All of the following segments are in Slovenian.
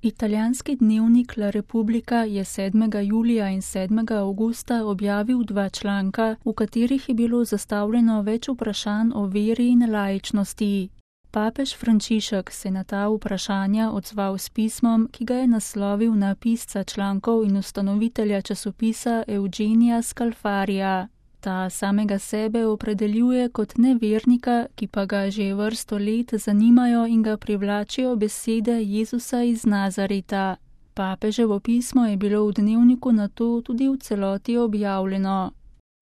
Italijanski dnevnik La Repubblica je 7. julija in 7. avgusta objavil 2 članka, v katerih je bilo zastavljeno več vprašanj o veri in laičnosti. Papež Frančišek se je na ta vprašanja odzval s pismom, ki ga je naslovil na pisca člankov in ustanovitelja časopisa Eugenija Scalfarija. Ta samega sebe opredeljuje kot nevernika, ki pa ga že vrsto let zanimajo in ga privlačijo besede Jezusa iz Nazareta. Papeževo pismo je bilo v dnevniku nato tudi v celoti objavljeno.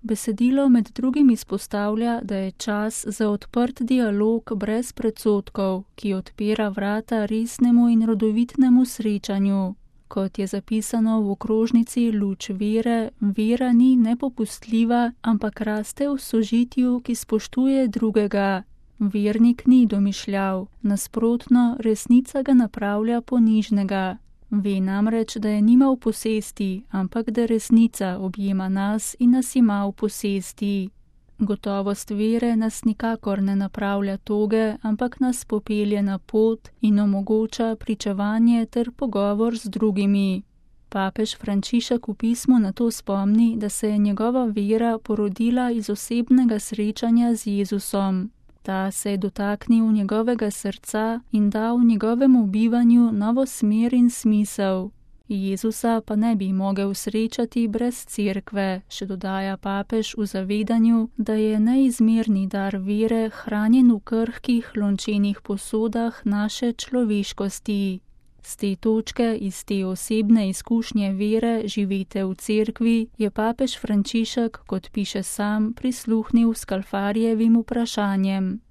Besedilo med drugim izpostavlja, da je čas za odprt dialog brez predsodkov, ki odpira vrata resnemu in rodovitnemu srečanju. Kot je zapisano v okrožnici Luč vere, vera ni nepopustljiva, ampak raste v sožitju, ki spoštuje drugega. Vernik ni domišljav, nasprotno, resnica ga napravlja ponižnega. Ve namreč, da je nima v posesti, ampak da resnica objema nas in nas ima v posesti. Gotovost vere nas nikakor ne napravlja toge, ampak nas popelje na pot in omogoča pričevanje ter pogovor z drugimi. Papež Frančišek v pismu na to spomni, da se je njegova vera porodila iz osebnega srečanja z Jezusom. Ta se je dotaknil njegovega srca in dal njegovemu bivanju novo smer in smisel. Jezusa pa ne bi mogel srečati brez cerkve, še dodaja papež v zavedanju, da je neizmerni dar vere hranjen v krhkih lončenih posodah naše človeškosti. Z te točke, iz te osebne izkušnje vere živite v cerkvi, je papež Frančišek, kot piše sam, prisluhnil Scalfarjevim vprašanjem.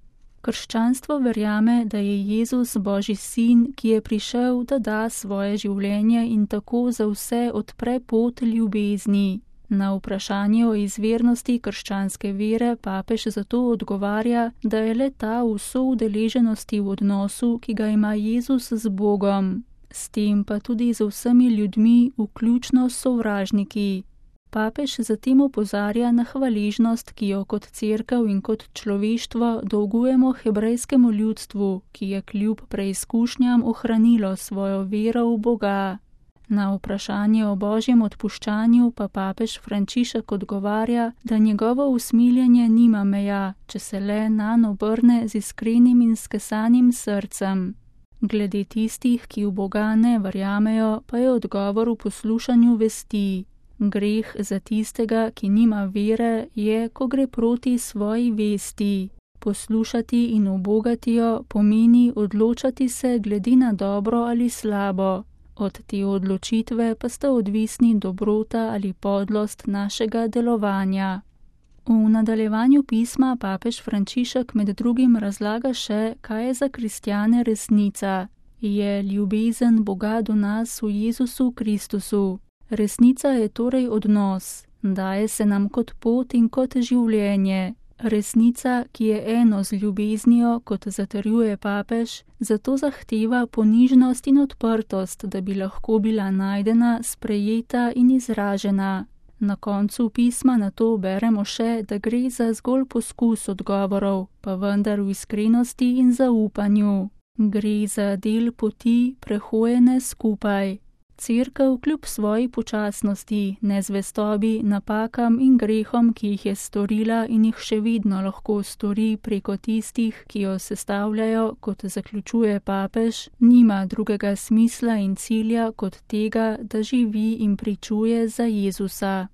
Krščanstvo verjame, da je Jezus Božji sin, ki je prišel, da da svoje življenje in tako za vse odpre pot ljubezni. Na vprašanje o izvirnosti krščanske vere papež zato odgovarja, da je le ta v soudeleženosti v odnosu, ki ga ima Jezus z Bogom. S tem pa tudi z vsemi ljudmi, vključno s sovražniki. Papež zatem opozarja na hvaležnost, ki jo kot cerkev in kot človeštvo dolgujemo hebrejskemu ljudstvu, ki je kljub preizkušnjam ohranilo svojo vero v Boga. Na vprašanje o Božjem odpuščanju pa papež Frančišek odgovarja, da njegovo usmiljenje nima meja, če se le nanj obrne z iskrenim in skesanim srcem. Glede tistih, ki v Boga ne verjamejo, pa je odgovor v poslušanju vesti. Greh za tistega, ki nima vere, je, ko gre proti svoji vesti. Poslušati in ubogati jo pomeni odločati se glede na dobro ali slabo. Od te odločitve pa sta odvisni dobrota ali podlost našega delovanja. V nadaljevanju pisma papež Frančišek med drugim razlaga še, kaj je za kristjane resnica. Je ljubezen Boga do nas v Jezusu Kristusu. Resnica je torej odnos, daje se nam kot pot in kot življenje. Resnica, ki je eno z ljubeznijo, kot zatrjuje papež, zato zahteva ponižnost in odprtost, da bi lahko bila najdena, sprejeta in izražena. Na koncu pisma nato beremo še, da gre za zgolj poskus odgovorov, pa vendar v iskrenosti in zaupanju. Gre za del poti, prehojene skupaj. Cerkev kljub svoji počasnosti, nezvestobi, napakam in grehom, ki jih je storila in jih še vedno lahko stori preko tistih, ki jo sestavljajo, kot zaključuje papež, nima drugega smisla in cilja kot tega, da živi in pričuje za Jezusa.